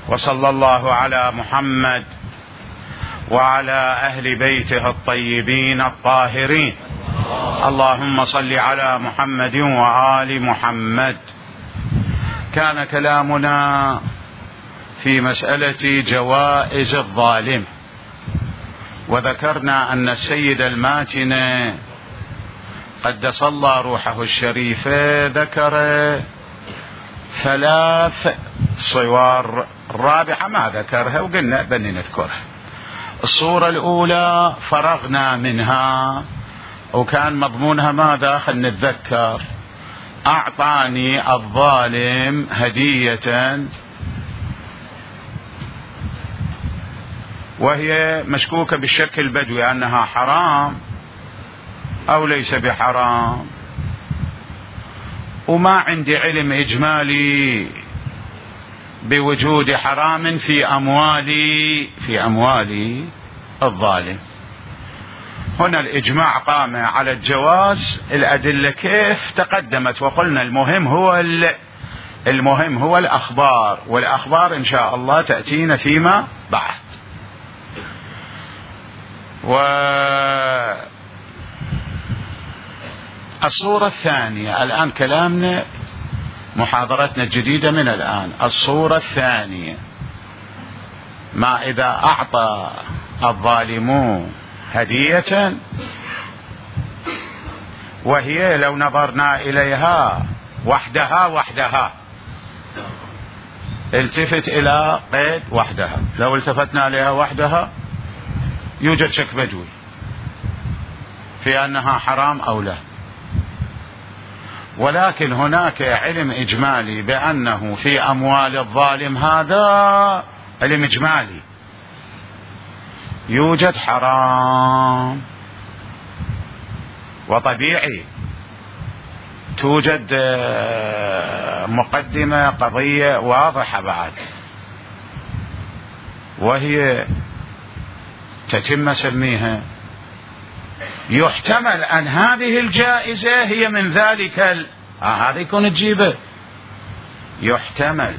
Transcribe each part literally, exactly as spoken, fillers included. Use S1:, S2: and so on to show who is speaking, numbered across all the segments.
S1: وصلى الله على محمد وعلى أهل بيته الطيبين الطاهرين. اللهم صل على محمد وآل محمد. كان كلامنا في مسألة جوائز الظالم، وذكرنا أن السيد الماتن قدس الله روحه الشريفة ذكر ثلاث صور، الرابعة ما ذكرها وقلنا بني نذكرها. الصورة الأولى فرغنا منها وكان مضمونها ماذا؟ خلنا نتذكر. أعطاني الظالم هدية وهي مشكوكة بالشك البدوي أنها حرام أو ليس بحرام، وما عندي علم إجمالي بوجود حرام في أموالي في أموالي الظالم. هنا الإجماع قام على الجواز، الأدلة كيف تقدمت، وقلنا المهم هو المهم هو الأخبار، والأخبار إن شاء الله تأتينا فيما بعد. والصورة الثانية الآن كلامنا محاضرتنا الجديدة من الآن. الصورة الثانية ما إذا أعطى الظالمون هدية وهي لو نظرنا إليها وحدها وحدها التفت إلى قيد وحدها، لو التفتنا إليها وحدها يوجد شك بدوي في أنها حرام أو لا، ولكن هناك علم إجمالي بأنه في أموال الظالم، هذا علم إجمالي، يوجد حرام، وطبيعي توجد مقدمة قضية واضحة بعد، وهي تتم سميها يحتمل أن هذه الجائزة هي من ذلك ال... آه هذا يكون تجيبه. يحتمل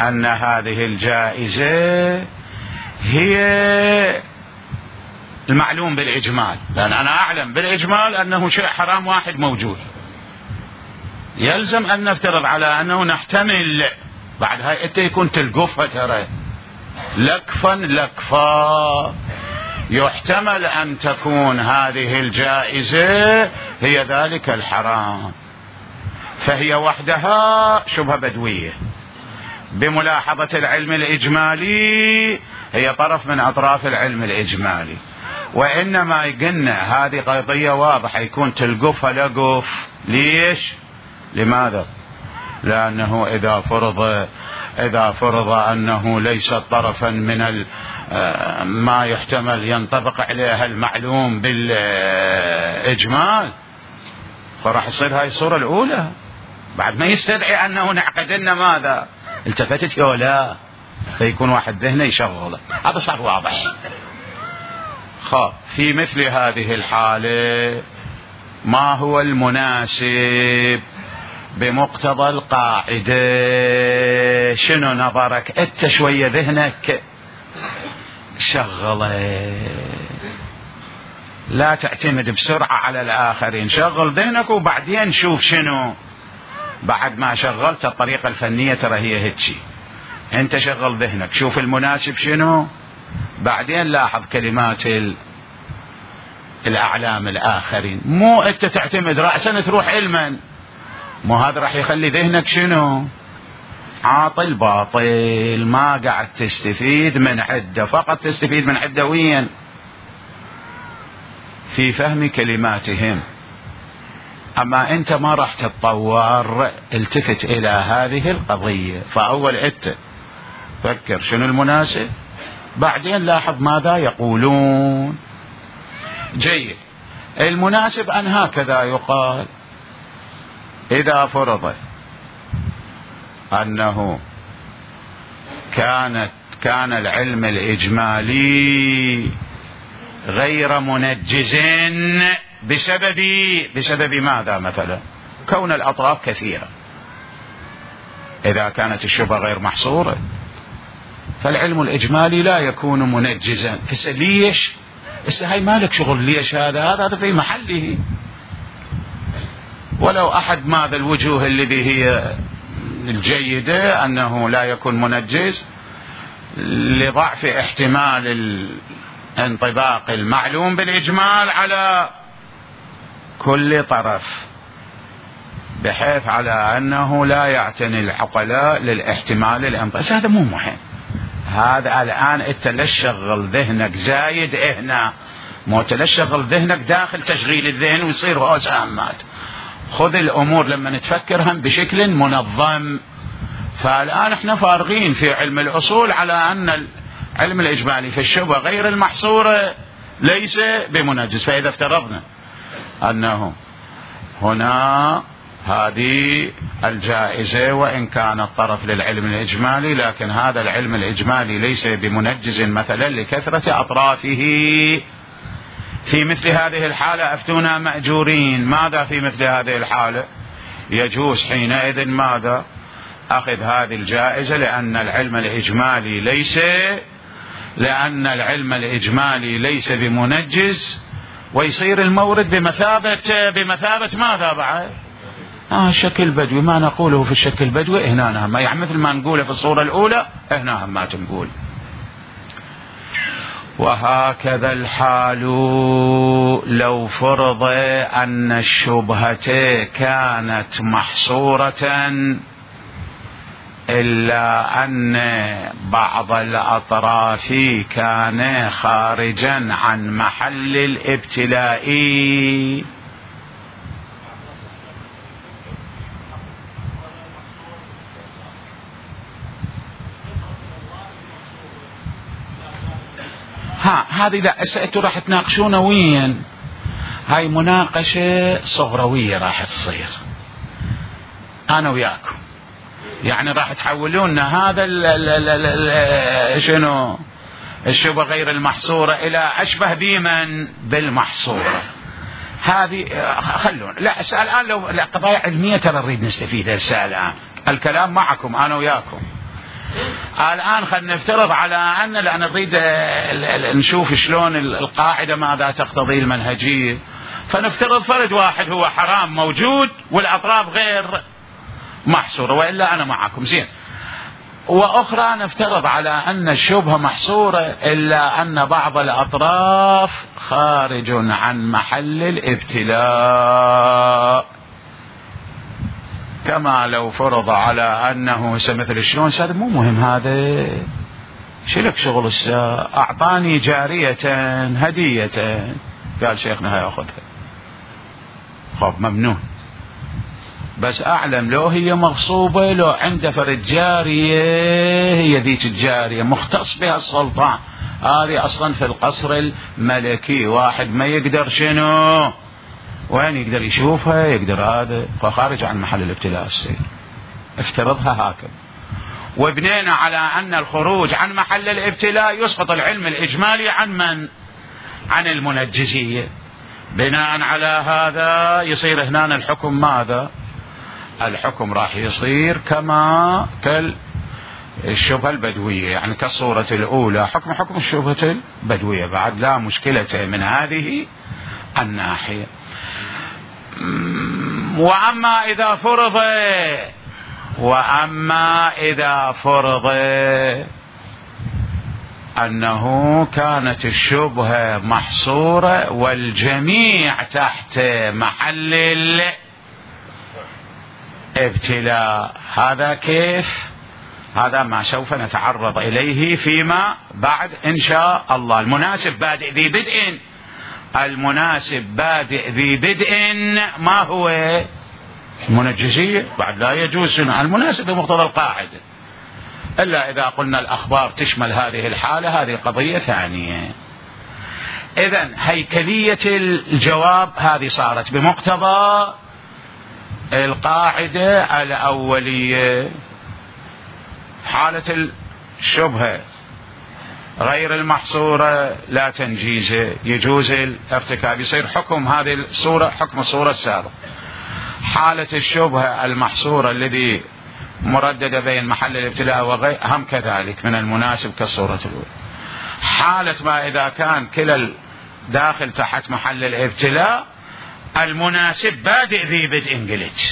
S1: أن هذه الجائزة هي المعلوم بالإجمال، لأن أنا أعلم بالإجمال أنه شيء حرام واحد موجود، يلزم أن نفترض على أنه نحتمل بعد هاي أنت يكون تلقفها ترى لكفا لكفا. يحتمل أن تكون هذه الجائزة هي ذلك الحرام، فهي وحدها شبهة بدوية بملاحظة العلم الإجمالي، هي طرف من أطراف العلم الإجمالي. وإنما قلنا هذه قضية واضحة يكون تلقفها لقف. ليش؟ لماذا؟ لأنه إذا فرض إذا فرض أنه ليس طرفا من ما يحتمل ينطبق عليها المعلوم بالإجمال، فراح يصير هاي الصورة الأولى بعد ما يستدعي أنه نعقد لنا ماذا؟ التفتت يا لا، فيكون واحد ذهنه يشغله. هذا صار واضح. خب في مثل هذه الحالة ما هو المناسب بمقتضى القاعدة؟ شنو نظرك انت؟ شوية ذهنك شغله، لا تعتمد بسرعة على الآخرين، شغل ذهنك وبعدين شوف شنو. بعد ما شغلت الطريقة الفنية ترى هي هيك، انت شغل ذهنك شوف المناسب شنو، بعدين لاحظ كلمات الأعلام الآخرين، مو انت تعتمد رأسا تروح علما، مو هذا راح يخلي ذهنك شنو؟ عاطل باطل، ما قاعد تستفيد من عدة، فقط تستفيد من عدة وين؟ في فهم كلماتهم. أما أنت ما راح تتطور، التفت إلى هذه القضية، فأول أنت فكر شنو المناسب، بعدين لاحظ ماذا يقولون. جيد. المناسب أن هكذا يقال: إذا فرض أنه كانت كان العلم الإجمالي غير منجز بسبب بسبب ماذا مثلا؟ كون الأطراف كثيرة. إذا كانت الشبهة غير محصورة فالعلم الإجمالي لا يكون منجزا. هسه ليش؟ هسه هاي مالك شغل ليش هذا هذا هذا في محله. ولو أحد ماذا الوجوه الذي هي الجيدة أنه لا يكون منجز لضعف احتمال الانطباق المعلوم بالإجمال على كل طرف، بحيث على أنه لا يعتني العقلاء للاحتمال الانطباق. هذا مو مهم. هذا الآن أنت ليش شغل ذهنك زايد هنا، مو ليش شغل ذهنك داخل تشغيل الذهن ويصير هو سامات. خذ الأمور لما نتفكرها بشكل منظم. فالآن احنا فارغين في علم الأصول على أن العلم الإجمالي في الشبهة غير المحصورة ليس بمنجز. فإذا افترضنا أنه هنا هذه الجائزة وإن كان الطرف للعلم الإجمالي، لكن هذا العلم الإجمالي ليس بمنجز مثلا لكثرة أطرافه، في مثل هذه الحالة أفتونا مأجورين. ماذا في مثل هذه الحالة؟ يجوز حينئذ ماذا؟ أخذ هذه الجائزة لأن العلم الإجمالي ليس لأن العلم الإجمالي ليس بمنجز، ويصير المورد بمثابة بمثابة ماذا بعد؟ آه الشكل البدوي. ما نقوله في الشكل البدوي هنا ما يعني مثل ما نقوله في الصورة الأولى هنا ما تنقول. وهكذا الحال لو فرض أن الشبهة كانت محصورة إلا أن بعض الأطراف كان خارجا عن محل الابتلاء. ها هذه لا أنتوا راح تناقشون وين؟ هاي مناقشة صغروية راح تصير أنا وياكم. يعني راح تحولون هذا ال ال ال ال شنو الشبهة غير المحصورة إلى أشبه بمن بالمحصورة. هذه خلون لا أسأل الآن لو لا قضايا علمية ترى نريد نستفيدها. الآن الكلام معكم أنا وياكم. الآن خلينا نفترض على أن لأن نريد نشوف شلون القاعدة ماذا تقتضي المنهجية. فنفترض فرد واحد هو حرام موجود والأطراف غير محصورة، وإلا أنا معكم زين. وأخرى نفترض على أن الشبهة محصورة إلا أن بعض الأطراف خارج عن محل الابتلاء، كما لو فرض على أنه مثل شلون هذا مو مهم. هذا شلك شغل الساعة أعطاني جارية هدية قال شيخنا هاي أخذها، خب ممنون، بس أعلم لو هي مغصوبة لو عنده فرد جارية هي ذيك الجارية مختص بها السلطان. هذه أصلا في القصر الملكي واحد ما يقدر شنو وين يقدر يشوفها يقدر هذا، فخارج عن محل الابتلاء السير. افترضها هكذا وبنينا على أن الخروج عن محل الابتلاء يسقط العلم الإجمالي عن من؟ عن المنجزية. بناء على هذا يصير هنا الحكم ماذا؟ الحكم راح يصير كما كالشبهة البدوية، يعني كالصورة الأولى حكم حكم الشبهة البدوية بعد، لا مشكلة من هذه الناحية. وأما إذا فرض وأما إذا فرض أنه كانت الشبهة محصورة والجميع تحت محل الابتلاء، هذا كيف؟ هذا ما سوف نتعرض إليه فيما بعد إن شاء الله. المناسب بادئ ذي بدء المناسب بادئ ذي بدء ما هو؟ المنجزية. بعد لا يجوز المناسب بمقتضى القاعدة، إلا إذا قلنا الأخبار تشمل هذه الحالة، هذه قضية ثانية. إذن هيكلية الجواب هذه صارت بمقتضى القاعدة الأولية. حالة الشبهة غير المحصورة لا تنجيزه، يجوز الارتكاب، يصير حكم هذه الصورة حكم الصورة السابقة. حالة الشبهة المحصورة الذي مرددة بين محل الابتلاء وغير هم كذلك من المناسب كالصورة الأولى. حالة ما إذا كان كلا داخل تحت محل الابتلاء المناسب بادئ ذي بدء انجلج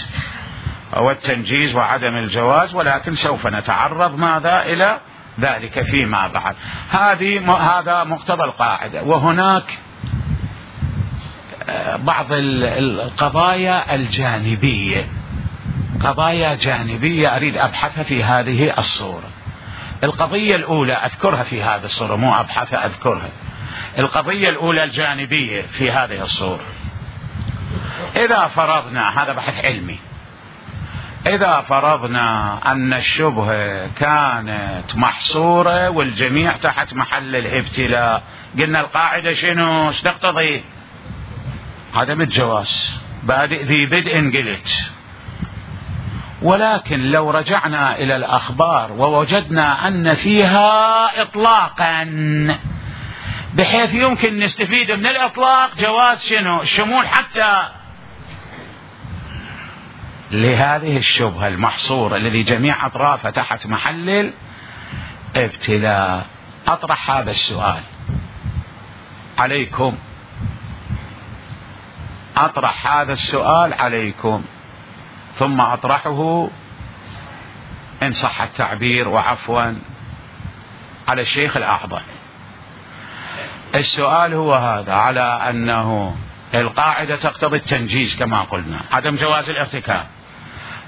S1: هو التنجيز وعدم الجواز، ولكن سوف نتعرض ماذا إلى ذلك فيما بعد. هذه هذا مقتضى القاعدة. وهناك بعض القضايا الجانبية، قضايا جانبية أريد أبحثها في هذه الصورة. القضية الأولى أذكرها في هذه الصورة، مو أبحثها أذكرها. القضية الأولى الجانبية في هذه الصورة، إذا فرضنا هذا بحث علمي، إذا فرضنا أن الشبهة كانت محصورة والجميع تحت محل الابتلاء، قلنا القاعدة شنو؟ ايش تقتضي؟ عدم الجواز، بادئ ذي بدء انجلت. ولكن لو رجعنا إلى الأخبار ووجدنا أن فيها إطلاقا بحيث يمكن نستفيد من الإطلاق جواز شنو؟ الشمول حتى لهذه الشبهة المحصورة الذي جميع أطرافها تحت محل الابتلاء. أطرح هذا السؤال عليكم، أطرح هذا السؤال عليكم ثم أطرحه إن صح التعبير وعفوا على الشيخ الأعظم. السؤال هو هذا، على أنه القاعدة تقتضي التنجيز كما قلنا، عدم جواز الارتكاب،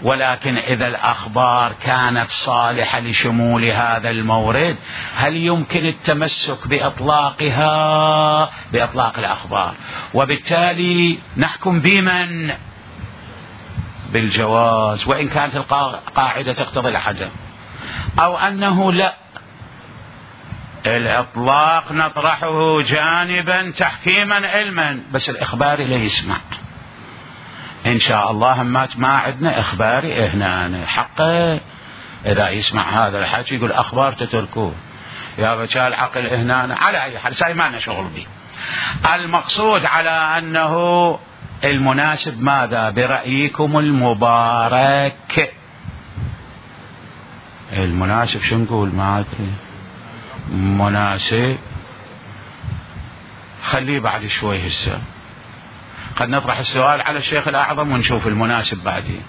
S1: ولكن إذا الأخبار كانت صالحة لشمول هذا المورد هل يمكن التمسك بإطلاقها بإطلاق الأخبار، وبالتالي نحكم بمن؟ بالجواز وإن كانت القاعدة تقتضي العدم، أو أنه لا، الإطلاق نطرحه جانبا تحكيما علما، بس الإخباري لا يسمع إن شاء الله. همات ما عندنا إخباري هنا حقه إذا يسمع هذا الحكي يقول أخبار تتركوه يا بشا العقل هنا. على أي حال ساي ما لنا شغل به. المقصود على أنه المناسب ماذا برأيكم المبارك؟ المناسب شو نقول؟ ما أدري. مناسب خليه بعد شوي، هسه قد نطرح السؤال على الشيخ الأعظم ونشوف المناسب بعدين.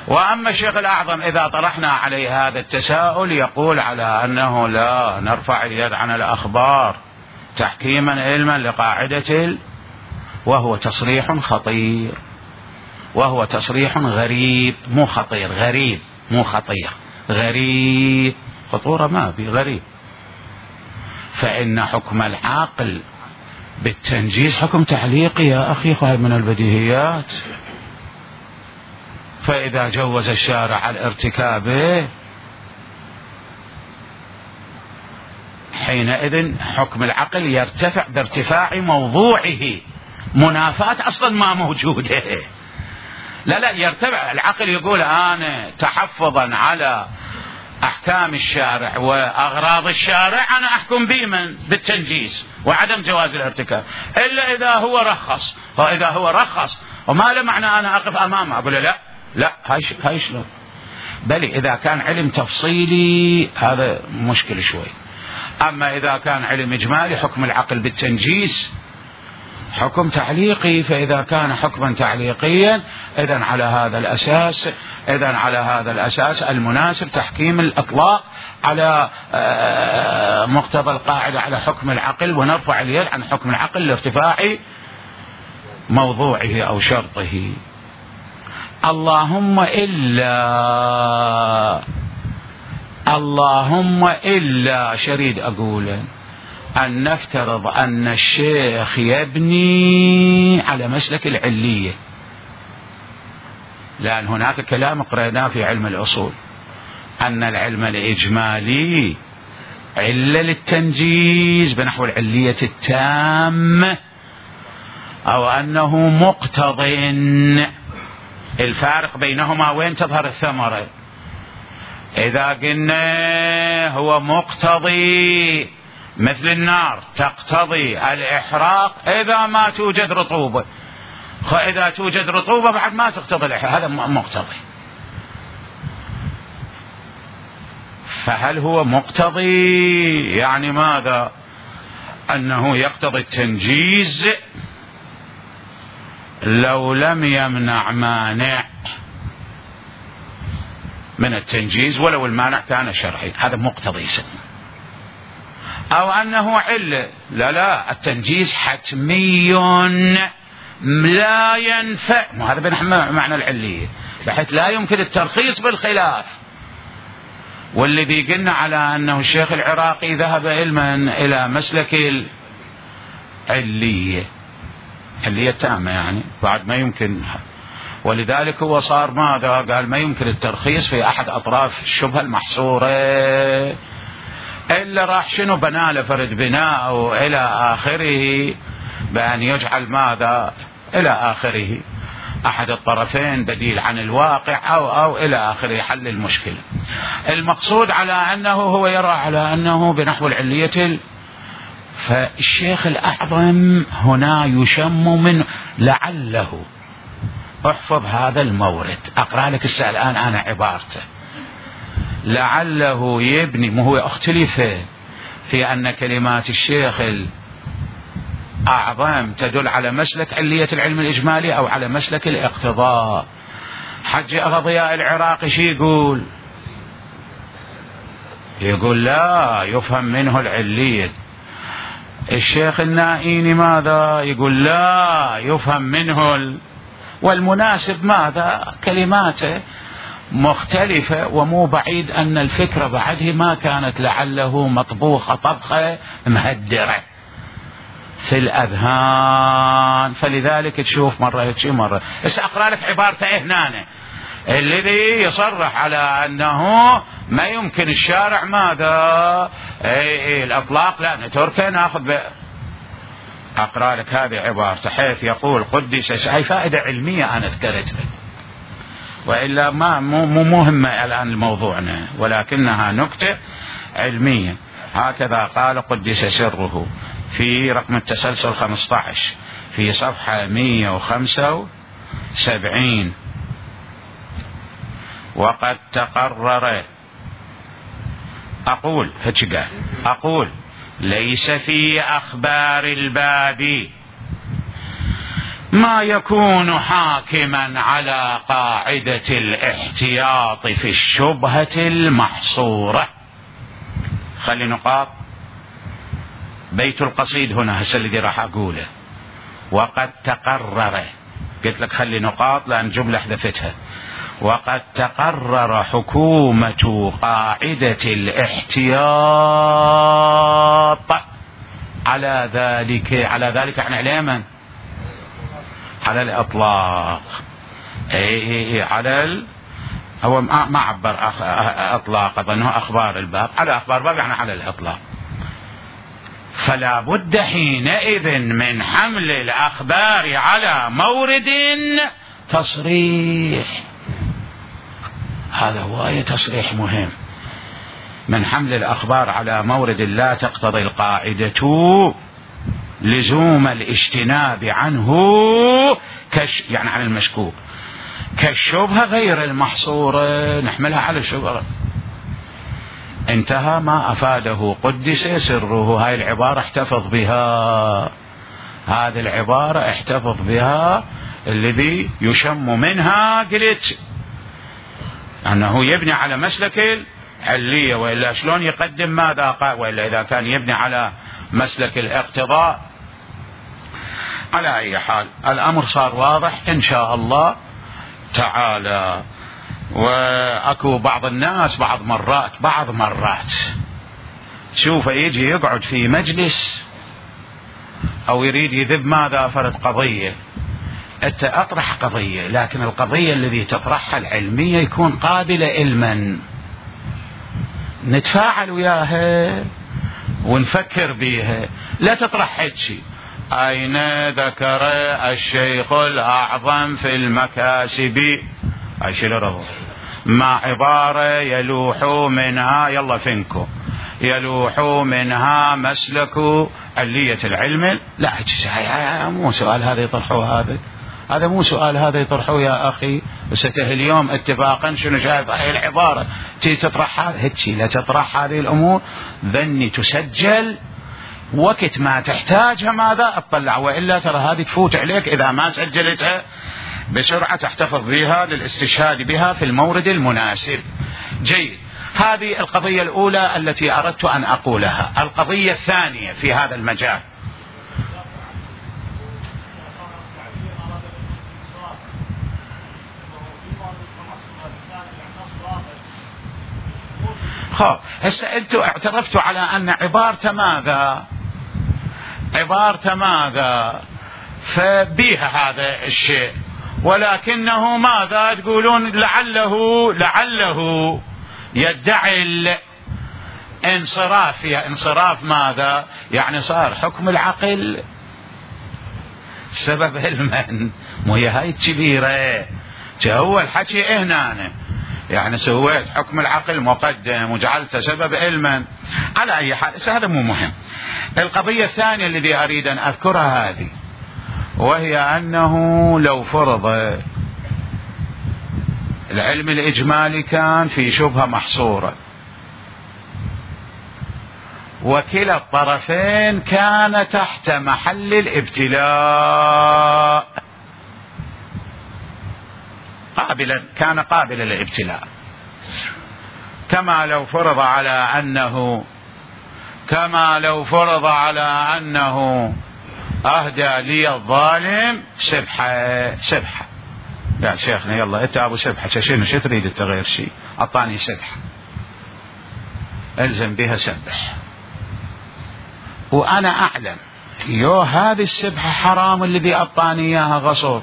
S1: وأما الشيخ الأعظم إذا طرحنا عليه هذا التساؤل يقول على أنه لا نرفع اليد عن الأخبار تحكيما علما لقاعدة ال... وهو تصريح خطير، وهو تصريح غريب، مو خطير، غريب مو خطير، غريب، خطورة ما في، غريب. فإن حكم العاقل بالتنجيز حكم تعليقي يا أخي، خايف من البديهيات. فإذا جوز الشارع الارتكاب حينئذ حكم العقل يرتفع بارتفاع موضوعه، منافاة أصلا ما موجودة. لا لا يرتفع العقل، يقول أنا تحفظا على أحكام الشارع وأغراض الشارع أنا أحكم بمن؟ بالتنجيز وعدم جواز الارتكاب، إلا إذا هو رخص. وإذا هو رخص وما له معنى أنا أقف أمامه أقول لا لا هاي شلون؟ بل إذا كان علم تفصيلي هذا مشكل شوي. أما إذا كان علم إجمالي حكم العقل بالتنجيز حكم تعليقي. فإذا كان حكما تعليقيا إذن على هذا الأساس إذن على هذا الأساس المناسب تحكيم الإطلاق على مقتضى القاعدة على حكم العقل، ونرفع اليد عن حكم العقل لارتفاع موضوعه أو شرطه. اللهم إلا اللهم إلا شريد أقوله أن نفترض أن الشيخ يبني على مسلك العلية، لأن هناك كلام قرأناه في علم الأصول أن العلم الإجمالي علة للتنجيز بنحو العلية التامة، أو أنه مقتضٍ. الفارق بينهما وين تظهر الثمرة؟ إذا قلنا هو مقتضي مثل النار تقتضي الإحراق إذا ما توجد رطوبة، إذا توجد رطوبة بعد ما تقتضي الإحراق، هذا مقتضي. فهل هو مقتضي؟ يعني ماذا؟ أنه يقتضي التنجيز لو لم يمنع مانع من التنجيز ولو المانع كان شرعي، هذا مقتضي يسمى. أو أنه علة، لا لا التنجيز حتمي لا ينفع، وهذا بنحمل معنى العلية بحيث لا يمكن الترخيص بالخلاف. والذي قلنا على أنه الشيخ العراقي ذهب علما إلى مسلك العلية، علية تامة يعني بعد ما يمكن، ولذلك هو صار ماذا؟ قال ما يمكن الترخيص في أحد أطراف الشبهة المحصورة، إلا راح شنو بناله فرد بناء أو إلى آخره، بأن يجعل ماذا إلى آخره أحد الطرفين بديل عن الواقع أو أو إلى آخره، حل المشكلة. المقصود على أنه هو يرى على أنه بنحو العلية. فالشيخ الأعظم هنا يشم من لعله، احفظ هذا المورد، أقرأ لك السؤال الآن أنا عبارته، لعله يبني، ما هو اختلف في أن كلمات الشيخ الأعظم تدل على مسلك علية العلم الإجمالي أو على مسلك الاقتضاء. حج أغضياء العراقي شي يقول؟ يقول لا يفهم منه العلية. الشيخ النائيني ماذا يقول؟ لا يفهم منه ال... والمناسب ماذا؟ كلماته مختلفة، ومو بعيد أن الفكرة بعده ما كانت لعله مطبوخة طبخة مهدرة في الأذهان، فلذلك تشوف مرة هيك مرة. بس أقرأ لك عبارته هنا الذي يصرح على أنه ما يمكن الشارع ماذا اي اي الأطلاق، لا نتركه ناخذ ب... أقرأ لك هذه عبارته حيث يقول قدس، هاي فائدة علمية أنا ذكرتها وإلا ما مو مهمة الآن لموضوعنا، ولكنها نكتة علمية. هكذا قال قدس سره في رقم التسلسل خمسة عشر في صفحة مئة وخمسة وسبعين: وقد تقرر، أقول هيك قال، أقول ليس في أخبار الباب ما يكون حاكما على قاعدة الاحتياط في الشبهة المحصورة. خلي نقاط بيت القصيد هنا هسه الذي راح أقوله. وقد تقرر، قلت لك خلي نقاط لأن جملة حذفتها. وقد تقرر حكومة قاعدة الاحتياط على ذلك، على ذلك احنا على من؟ على الإطلاق. اي اي على ال... هو ما عبر أخ... اطلاق، اظنه اخبار الباب، على اخبار الباب يعني على الاطلاق. فلا بد حينئذ من حمل الاخبار على مورد تصريح، هذا هو تصريح مهم، من حمل الأخبار على مورد لا تقتضي القاعدة لزوم الاجتناب عنه كش يعني عن المشكوك، كالشبهة غير المحصورة نحملها على الشبهة. انتهى ما أفاده قدس سره. هاي العبارة احتفظ بها، هذه العبارة احتفظ بها، الذي يشم منها قلت أنه يبني على مسلك العلية، وإلا شلون يقدم ماذا قال؟ وإلا إذا كان يبني على مسلك الاقتضاء. على أي حال الأمر صار واضح إن شاء الله تعالى. وأكو بعض الناس بعض مرات بعض مرات شوف يجي يقعد في مجلس أو يريد يذب ماذا فرد قضية، أنت أطرح قضية، لكن القضية الذي تطرحها العلمية يكون قابلة علما، نتفاعل وياها ونفكر بيها، لا تطرح هيك شيء. أين ذكر الشيخ الأعظم في المكاسب أشيل مع عبارة يلوح منها، يلا فينكو يلوح منها مسلك علية العلم، لا مو سؤال هذا يطرحه، هذا هذا مو سؤال هذا يطرحوه يا أخي وسته اليوم اتفاقا شنو شايف هاي العبارة تي تطرح هيك لا تطرح هذه الأمور ذني تسجل وقت ما تحتاجها ماذا اطلع، وإلا ترى هذه تفوت عليك إذا ما سجلتها بسرعة تحتفظ بها للاستشهاد بها في المورد المناسب. جيد، هذه القضية الأولى التي أردت أن أقولها. القضية الثانية في هذا المجال، خب هسه انتم اعترفتوا على أن عبارة ماذا عبارة ماذا فبيها هذا الشيء، ولكنه ماذا تقولون لعله لعله يدعي الانصراف. يا انصراف ماذا يعني؟ صار حكم العقل سبب علما، مو هي هاي الكبيرة هو الحكي هنا يعني سويت حكم العقل مقدم وجعلته سبب علما. على أي حال هذا مو مهم. القضية الثانية التي أريد أن أذكرها هذه، وهي أنه لو فرض العلم الإجمالي كان في شبهة محصورة وكلا الطرفين كان تحت محل الابتلاء قابلا كان قابلا للابتلاء، كما لو فرض على أنه كما لو فرض على أنه أهدى لي الظالم سبحة سبحة. يا شيخنا يلا أنت أبو سبحة شنو شو تريد أنت غير شيء؟ أعطاني سبحة ألزم بها سبح، وأنا أعلم يو هذه السبحة حرام الذي أعطاني إياها غصب،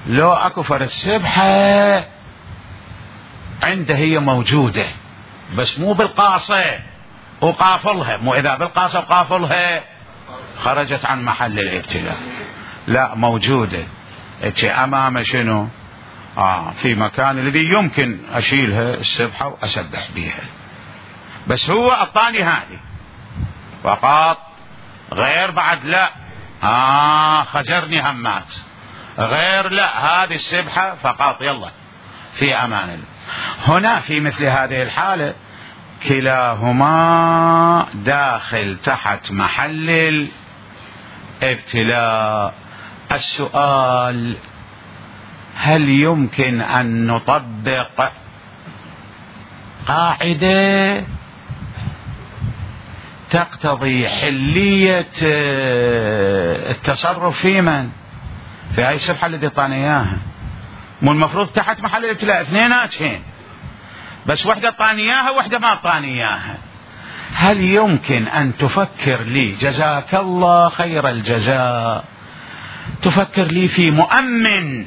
S1: لو أكفر السبحة عنده هي موجودة بس مو بالقاصة وقافلها، مو إذا بالقاصة وقافلها خرجت عن محل الابتلاء، لا موجودة أمام شنو آه في مكان الذي يمكن أشيلها السبحة وأسبح بها، بس هو أعطاني هذه فقط غير بعد لا آه خجرني همات غير لا هذه السبحة فقط يلا في أمان الله. هنا في مثل هذه الحالة كلاهما داخل تحت محل الابتلاء. السؤال هل يمكن أن نطبق قاعدة تقتضي حلية التصرف في من في هاي السبحة اللي اعطانا اياها؟ مو المفروض تحت محل الابتلاء اثنيناتهن بس وحدة اعطاني اياها وحدة ما اعطاني اياها. هل يمكن ان تفكر لي جزاك الله خير الجزاء تفكر لي في مؤمن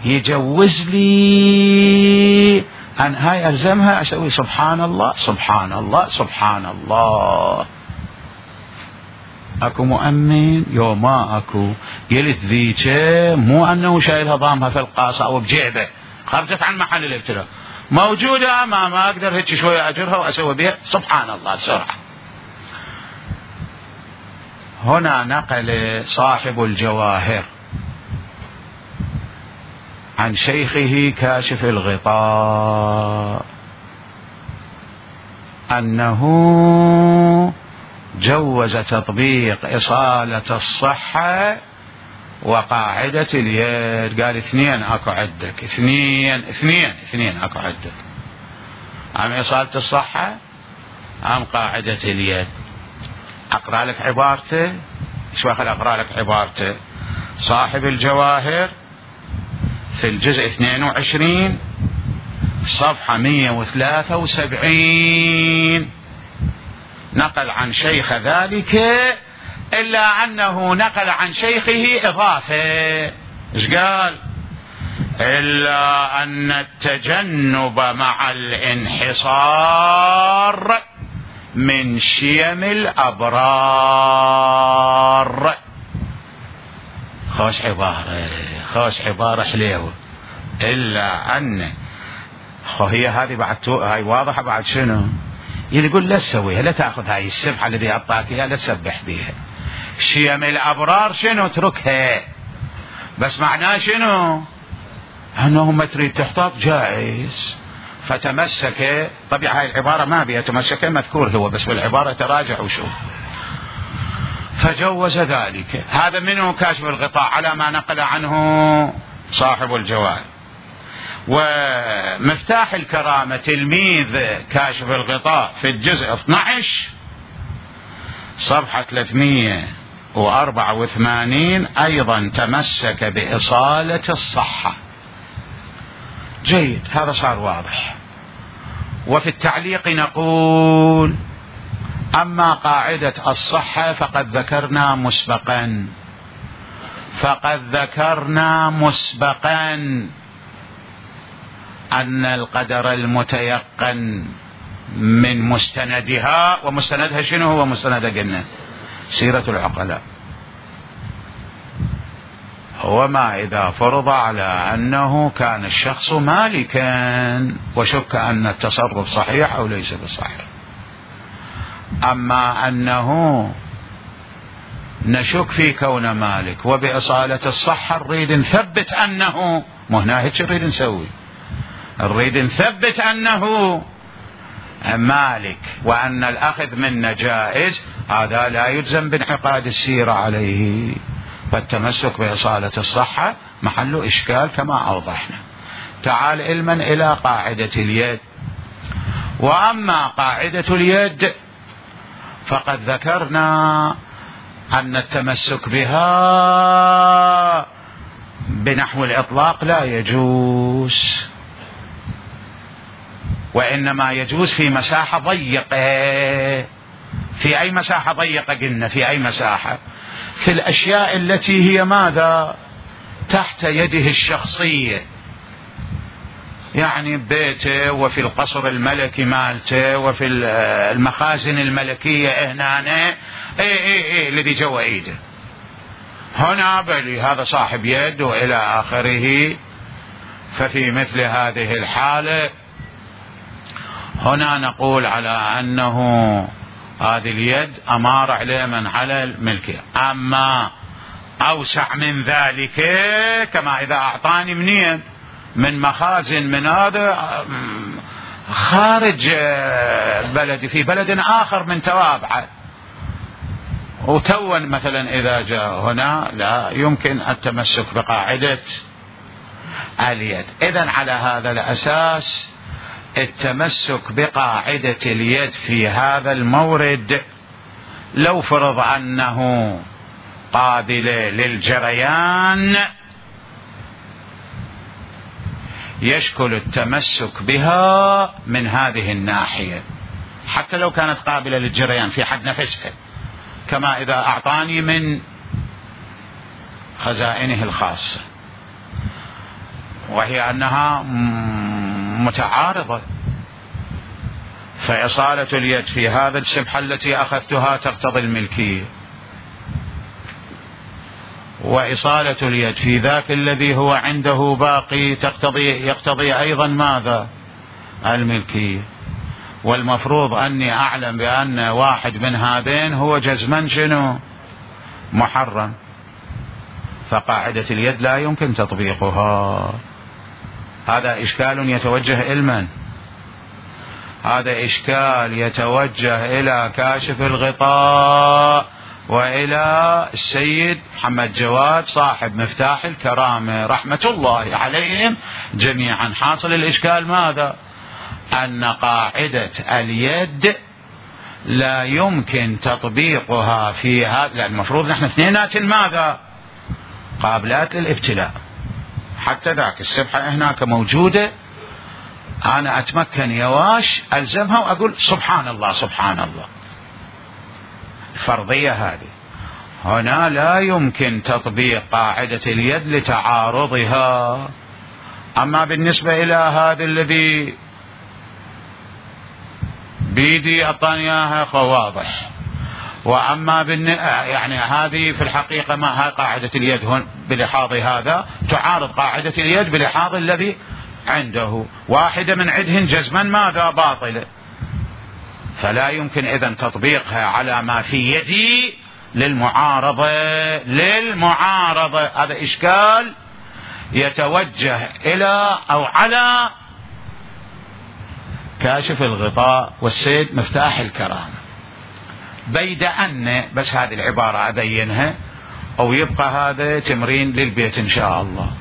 S1: يجوز لي أن هاي ألزمها أسوي سبحان الله سبحان الله سبحان الله؟ أكو مؤمن يو ما أكو؟ قلت ذيك مو أنه شايلها ضامها في القاصة أو بجيبه خرجت عن محل الابتلاء، موجودة ما ما أقدر هيك شوية أجرها وأسوي بها سبحان الله بسرعة. هنا نقل صاحب الجواهر عن شيخه كاشف الغطاء أنه جوز تطبيق إصالة الصحة وقاعدة اليد. قال اثنين أكو عندك اثنين اثنين اثنين أكو عندك، عم إصالة الصحة عم قاعدة اليد. أقرأ لك عبارته، شو أخل أقرأ لك عبارته. صاحب الجواهر في الجزء اثنين وعشرين صفحة مئة وثلاثة وسبعين نقل عن شيخ ذلك، إلا أنه نقل عن شيخه إضافة. إيش قال؟ إلا أن التجنب مع الانحصار من شيم الأبرار. خوش عبارة خوش عبارة حليوة. إلا أن خو هي هذه بعد هاي واضحة بعد شنو يقول لا تسويها، لا تأخذ هاي السبحة الذي أعطاك إياها لا تسبح بها. شيم الأبرار شنو اتركها، بس معناه شنو؟ انه ما تريد تحتاط جائز، فتمسك. طبيعي هاي العبارة ما بها تمسك مذكور هو، بس بالعبارة تراجع وشوف. فجوز ذلك. هذا منه كاشف الغطاء على ما نقل عنه صاحب الجوال. ومفتاح الكرامة تلميذ كاشف الغطاء في الجزء اثني عشر صفحة ثلاثمئة وأربعة وثمانين أيضا تمسك بإصالة الصحة. جيد، هذا صار واضح. وفي التعليق نقول: أما قاعدة الصحة فقد ذكرنا مسبقا فقد ذكرنا مسبقا أن القدر المتيقن من مستندها، ومستندها شنو هو مستندها؟ قلنا سيرة العقلاء. هو ما إذا فرض على أنه كان الشخص مالكا وشك أن التصرف صحيح أو ليس بصحيح. أما أنه نشك في كون مالك وبإصالة الصحة نريد نثبت أنه، مو هنا هيك نريد نسوي، نريد نثبت أنه مالك وأن الأخذ منه جائز. هذا لا يلزم بانعقاد السيرة عليه، فالتمسك بإصالة الصحة محل إشكال كما أوضحنا. تعال علما إلى قاعدة اليد. وأما قاعدة اليد فقد ذكرنا أن التمسك بها بنحو الإطلاق لا يجوز، وإنما يجوز في مساحة ضيقة. في أي مساحة ضيقة قلنا؟ في أي مساحة؟ في الأشياء التي هي ماذا؟ تحت يده الشخصية، يعني ببيته وفي القصر الملكي مالته وفي المخازن الملكية هنا، اي اي اي الذي جوا ايده هنا بلي هذا صاحب يد والى اخره. ففي مثل هذه الحالة هنا نقول على انه هذه اليد امار عليه من على الملكية. اما اوسع من ذلك، كما اذا اعطاني منين من مخازن من هذا خارج بلدي في بلد آخر من توابعه، وتون مثلا إذا جاء هنا لا يمكن التمسك بقاعدة اليد. إذن على هذا الأساس التمسك بقاعدة اليد في هذا المورد لو فرض أنه قابل للجريان يشكل التمسك بها من هذه الناحية، حتى لو كانت قابلة للجريان في حد نفسها، كما إذا أعطاني من خزائنه الخاصة، وهي أنها متعارضة. فإصالة اليد في هذا السبحة التي أخذتها تقتضي الملكية، وإصالة اليد في ذاك الذي هو عنده باقي تقتضي يقتضي أيضا ماذا؟ الملكية. والمفروض أني أعلم بأن واحد من هذين هو جزما شنو؟ محرم. فقاعدة اليد لا يمكن تطبيقها. هذا إشكال يتوجه إلمن؟ هذا إشكال يتوجه إلى كاشف الغطاء وإلى السيد محمد جواد صاحب مفتاح الكرامة رحمة الله عليهم جميعا. حاصل الإشكال ماذا؟ أن قاعدة اليد لا يمكن تطبيقها في هذا، لأن المفروض نحن اثنينات ماذا؟ قابلات للابتلاء. حتى ذاك السبحة هناك موجودة، أنا أتمكن يواش ألزمها وأقول سبحان الله سبحان الله. الفرضية هذه هنا لا يمكن تطبيق قاعدة اليد لتعارضها. أما بالنسبة إلى هذا الذي بيدي أعطانيها فواضح. وأما بالن... يعني هذه في الحقيقة ما هي قاعدة اليد هون بلحاظ هذا تعارض قاعدة اليد بلحاظ الذي عنده، واحدة من عدهن جزما ماذا؟ باطلة. فلا يمكن إذن تطبيقها على ما في يدي للمعارضة للمعارضة هذا إشكال يتوجه إلى أو على كاشف الغطاء والسيد مفتاح الكرامة. بيد أن بس هذه العبارة أبينها أو يبقى هذا تمرين للبيت إن شاء الله.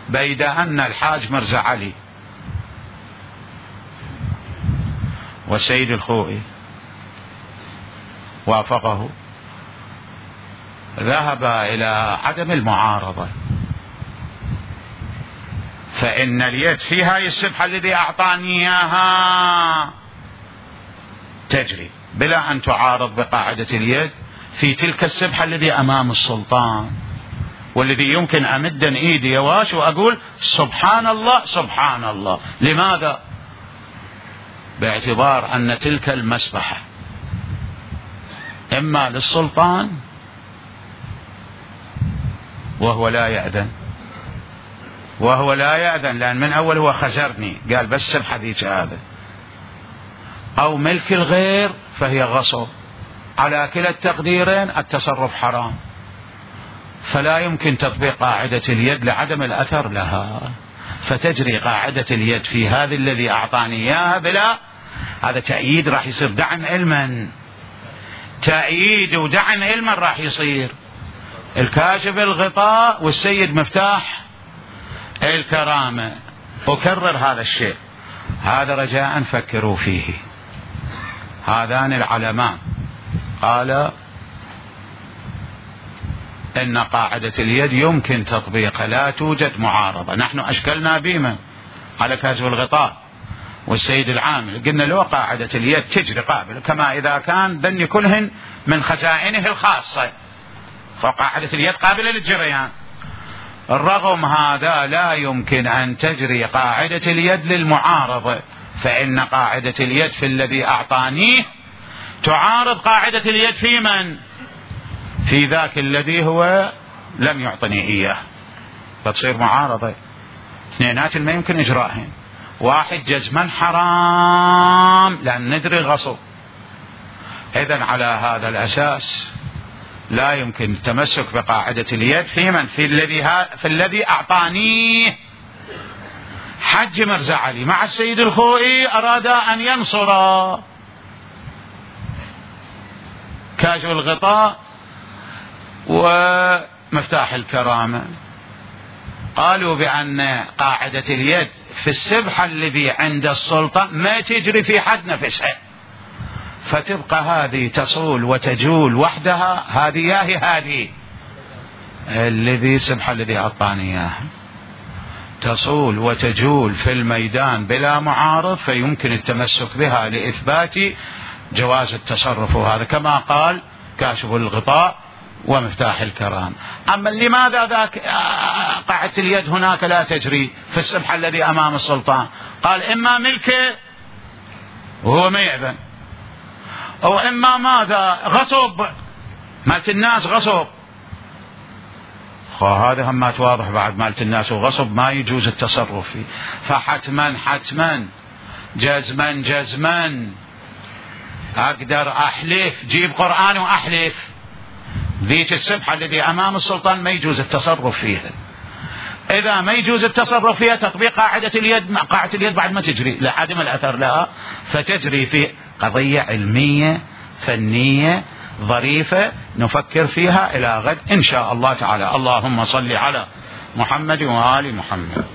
S1: بيد أن الحاج مرزا علي والسيد الخوئي وافقه ذهب إلى عدم المعارضة، فإن اليد في هاي السبحة الذي أعطاني إياها تجري بلا أن تعارض بقاعدة اليد في تلك السبحة الذي أمام السلطان، والذي يمكن أمدا إيدي يواش وأقول سبحان الله سبحان الله. لماذا؟ باعتبار أن تلك المسبحة إما للسلطان وهو لا يأذن وهو لا يأذن لأن من أول هو خزرني قال بس سبحة ذيك هذا، أو ملك الغير فهي غصب. على كلا التقديرين التصرف حرام، فلا يمكن تطبيق قاعدة اليد لعدم الأثر لها، فتجري قاعدة اليد في هذا الذي أعطاني إياها بلا هذا تأييد راح يصير دعم علما، تأييد ودعم علما راح يصير الكاشف الغطاء والسيد مفتاح الكرامة. أكرر هذا الشيء، هذا رجاء فكروا فيه. هذان العلمان قال إن قاعدة اليد يمكن تطبيقها لا توجد معارضة. نحن أشكلنا بما على كاشف الغطاء والسيد العامل قلنا له قاعدة اليد تجري قابل كما إذا كان ذني كلهن من خزائنه الخاصة، فقاعدة اليد قابلة للجريان. الرغم هذا لا يمكن أن تجري قاعدة اليد للمعارضة، فإن قاعدة اليد في الذي أعطانيه تعارض قاعدة اليد في من؟ في ذاك الذي هو لم يعطني إياه، فتصير معارضة. اثنينات ما يمكن إجراءهن، واحد جزما حرام لأن ندري غصب. إذن على هذا الأساس لا يمكن التمسك بقاعدة اليد في من؟ في الذي في الذي أعطانيه. حج مرزا علي مع السيد الخوئي أراد أن ينصر كاشف الغطاء ومفتاح الكرامة، قالوا بأن قاعدة اليد في السبحة الذي عند السلطة ما تجري في حد نفسها، فتبقى هذه تصول وتجول وحدها، هذه ياهي هذه الذي سبحة الذي أعطاني إياها تصول وتجول في الميدان بلا معارض، فيمكن التمسك بها لإثبات جواز التصرف، وهذا كما قال كاشف الغطاء ومفتاح الكرام. أما لماذا ذاك قاعدة اليد هناك لا تجري في السبحة الذي أمام السلطان؟ قال إما ملكه وهو ما يأذن، أو إما ماذا غصب مالت الناس غصب. هذا هم واضح بعد مالت الناس وغصب ما يجوز التصرف فيه، فحتما حتما جزما جزما أقدر أحلف، جيب قرآن وأحلف ذيك السبحة الذي أمام السلطان ما يجوز التصرف فيها. إذا ما يجوز التصرف فيها تطبيق قاعدة اليد، قاعدة اليد بعد ما تجري لعدم الأثر لها، فتجري في قضية علمية فنية ظريفة نفكر فيها إلى غد إن شاء الله تعالى. اللهم صل على محمد وآل محمد.